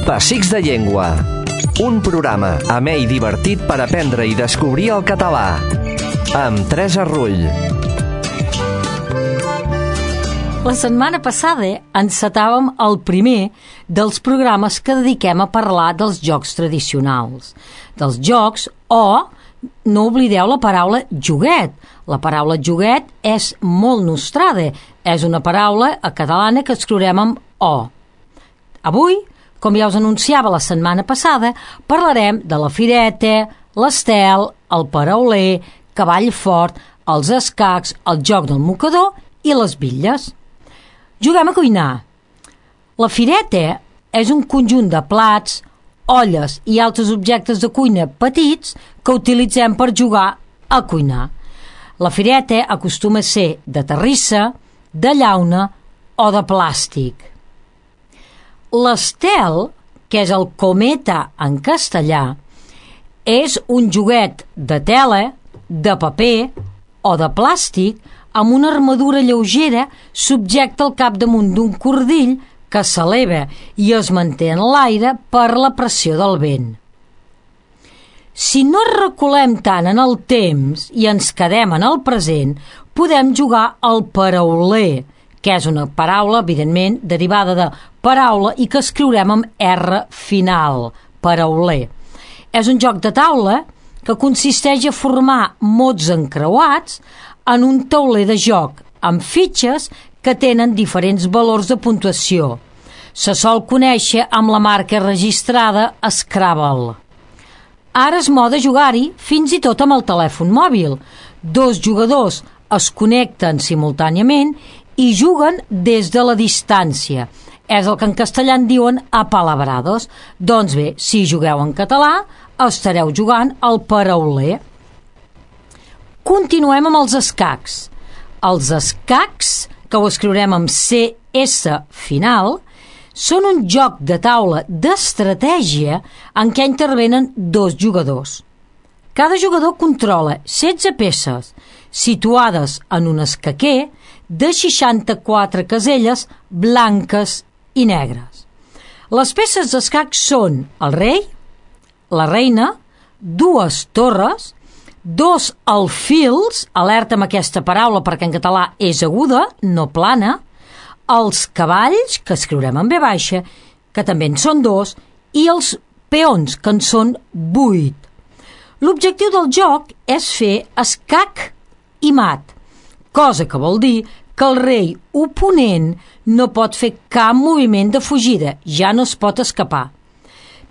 Pessics de Llengua. Un programa amè i divertit per aprendre i descobrir el català. Amb Teresa Rull. La setmana passada encetàvem el primer dels programes que dediquem a parlar dels jocs tradicionals. Dels jocs o, no oblideu la paraula joguet. La paraula joguet és molt nostrada. És una paraula catalana que escriurem amb O. Avui, com ja us anunciava la setmana passada, parlarem de la fireta, l'estel, el parauler, cavall fort, els escacs, el joc del mocador i les bitlles. Juguem a cuinar. La fireta és un conjunt de plats, olles i altres objectes de cuina petits que utilitzem per jugar a cuinar. La fireta acostuma a ser de terrissa, de llauna o de plàstic. L'estel, que és el cometa en castellà, és un joguet de tela, de paper o de plàstic amb una armadura lleugera subjecta al capdamunt d'un cordill que s'eleva i es manté en l'aire per la pressió del vent. Si no reculem tant en el temps i ens quedem en el present, podem jugar al parauler, que és una paraula, evidentment, derivada de paraula i que escriurem amb R final, parauler. És un joc de taula que consisteix a formar mots encreuats en un tauler de joc, amb fitxes que tenen diferents valors de puntuació. Se sol conèixer amb la marca registrada Scrabble. Ara és moda jugar-hi fins i tot amb el telèfon mòbil. Dos jugadors es connecten simultàniament i juguen des de la distància. És el que en castellà en diuen apalabrados. Doncs bé, si jugueu en català, estareu jugant al parauler. Continuem amb els escacs. Els escacs, que ho escriurem amb CS final, són un joc de taula d'estratègia en què intervenen dos jugadors. Cada jugador controla 16 peces situades en un escaquer de 64 caselles blanques i negres. Les peces d'escacs són el rei, la reina, dues torres, dos alfils, alerta amb aquesta paraula perquè en català és aguda, no plana, els cavalls, que escriurem en V baixa, que també en són dos, i els peons, que en són 8. L'objectiu del joc és fer escac i mat, cosa que vol dir que el rei oponent no pot fer cap moviment de fugida, ja no es pot escapar.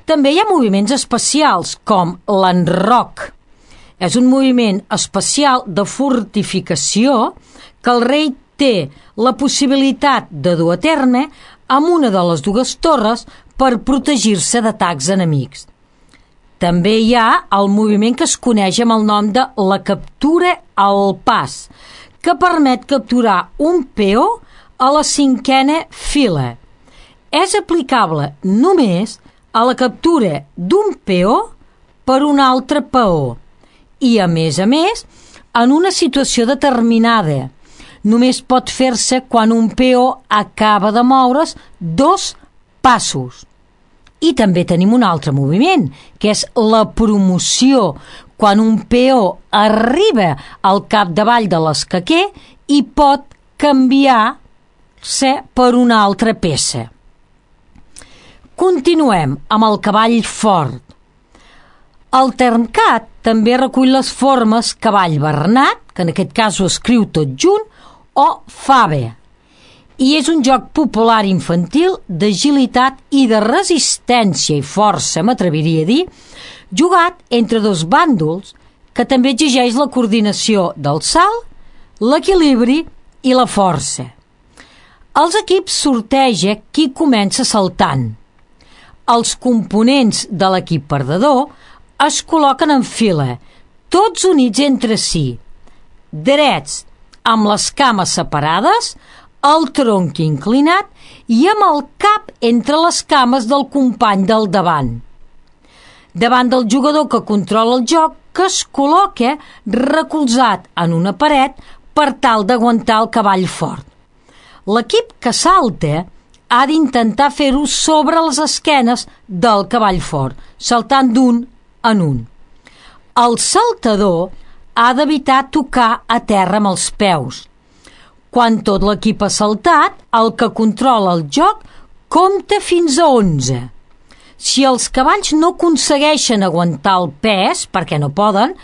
També hi ha moviments especials, com l'enroc. És un moviment especial de fortificació que el rei té la possibilitat de dur a terme amb una de les dues torres per protegir-se d'atacs enemics. També hi ha el moviment que es coneix amb el nom de la captura al pas, que permet capturar un peó a la 5a fila. És aplicable només a la captura d'un peó per un altre peó i, a més, en una situació determinada. Només pot fer-se quan un peó acaba de moure's 2 passos. I també tenim un altre moviment, que és la promoció, quan un peó arriba al capdavall de l'escaquer i pot canviar-se per una altra peça. Continuem amb el cavall fort. El termcat també recull les formes cavall bernat, que en aquest cas ho escriu tot junt, o fave. I és un joc popular infantil d'agilitat i de resistència i força, m'atreviria a dir, jugat entre dos bàndols que també exigeix la coordinació del salt, l'equilibri i la força. Els equips sorteja qui comença saltant. Els components de l'equip perdedor es col·loquen en fila, tots units entre si, drets, amb les cames separades, el tronc inclinat i amb el cap entre les cames del company del davant. Davant del jugador que controla el joc, que es col·loca recolzat en una paret per tal d'aguantar el cavall fort. L'equip que salta ha d'intentar fer-ho sobre les esquenes del cavall fort, saltant d'un en un. El saltador ha d'evitar tocar a terra amb els peus. Quan tot l'equip ha saltat, el que controla el joc compta fins a 11. Si els cavalls no aconsegueixen aguantar el pes, perquè no poden,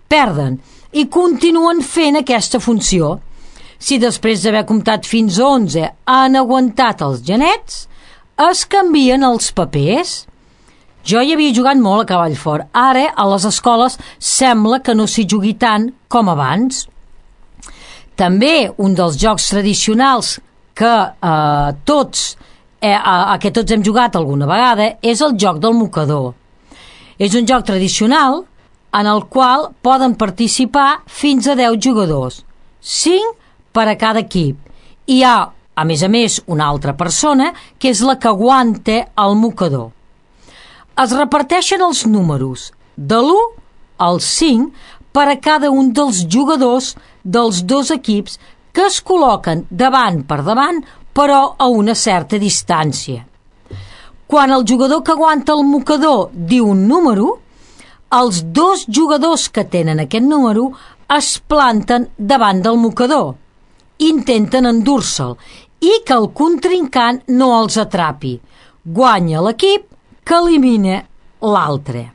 perden i continuen fent aquesta funció. Si després d'haver comptat fins a 11 han aguantat els genets, es canvien els papers. Jo hi havia jugat molt a cavall fort. Ara, a les escoles, sembla que no s'hi jugui tant com abans. També un dels jocs tradicionals que tots hem jugat alguna vegada és el joc del mocador. És un joc tradicional en el qual poden participar fins a 10 jugadors, 5 per a cada equip. Hi ha, a més, una altra persona que és la que aguanta el mocador. Es reparteixen els números de l'1 al 5 per a cada un dels jugadors dels dos equips que es col·loquen davant per davant, però a una certa distància. Quan el jugador que aguanta el mocador diu un número, els dos jugadors que tenen aquest número es planten davant del mocador, intenten endur-se'l i que el contrincant no els atrapi. Guanya l'equip que elimina l'altre.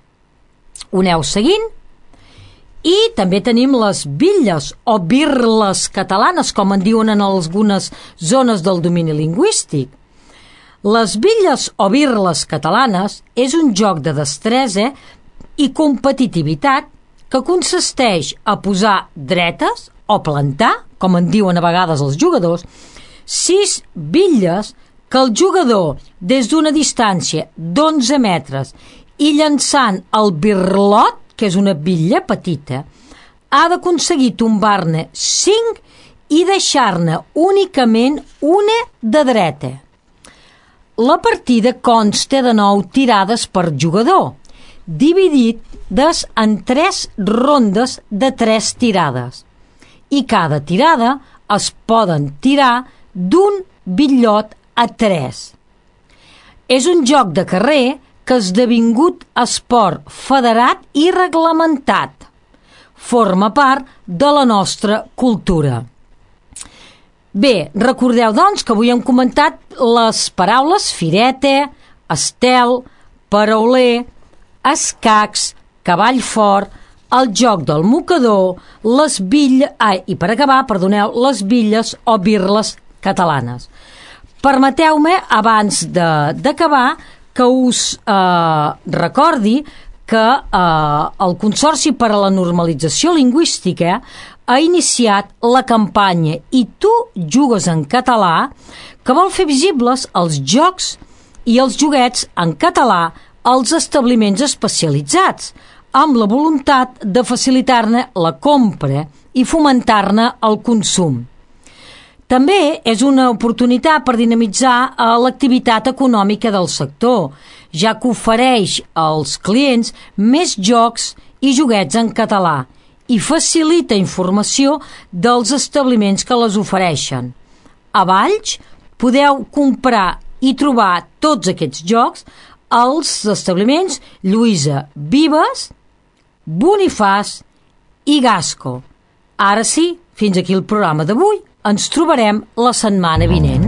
Ho aneu seguint? I també tenim les bitlles o birles catalanes, com en diuen en algunes zones del domini lingüístic. Les bitlles o birles catalanes és un joc de destresa i competitivitat que consisteix a posar dretes o plantar, com en diuen a vegades els jugadors, 6 bitlles que el jugador, des d'una distància d'11 metres i llançant el birlot, que és una bitlla petita, ha d'aconseguir tombar-ne 5 i deixar-ne únicament una de dreta. La partida consta de 9 tirades per jugador, dividides en 3 rondes de 3 tirades. I cada tirada es poden tirar d'un bitllot a 3. És un joc de carrer que ha esdevingut esport federat i reglamentat. Forma part de la nostra cultura. Bé, recordeu, doncs, que avui hem comentat les paraules fireta, estel, parauler, escacs, cavall fort, el joc del mocador, les bitlles o birles catalanes. Permeteu-me, abans d'acabar, que us recordi que el Consorci per a la Normalització Lingüística ha iniciat la campanya I tu jugues en català, que vol fer visibles els jocs i els joguets en català als establiments especialitzats, amb la voluntat de facilitar-ne la compra i fomentar-ne el consum. També és una oportunitat per dinamitzar l'activitat econòmica del sector, ja que ofereix als clients més jocs i joguets en català i facilita informació dels establiments que les ofereixen. A Valls podeu comprar i trobar tots aquests jocs als establiments Lluïsa Vives, Bonifaç i Gasco. Ara sí, fins aquí el programa d'avui. Ens trobarem la setmana vinent.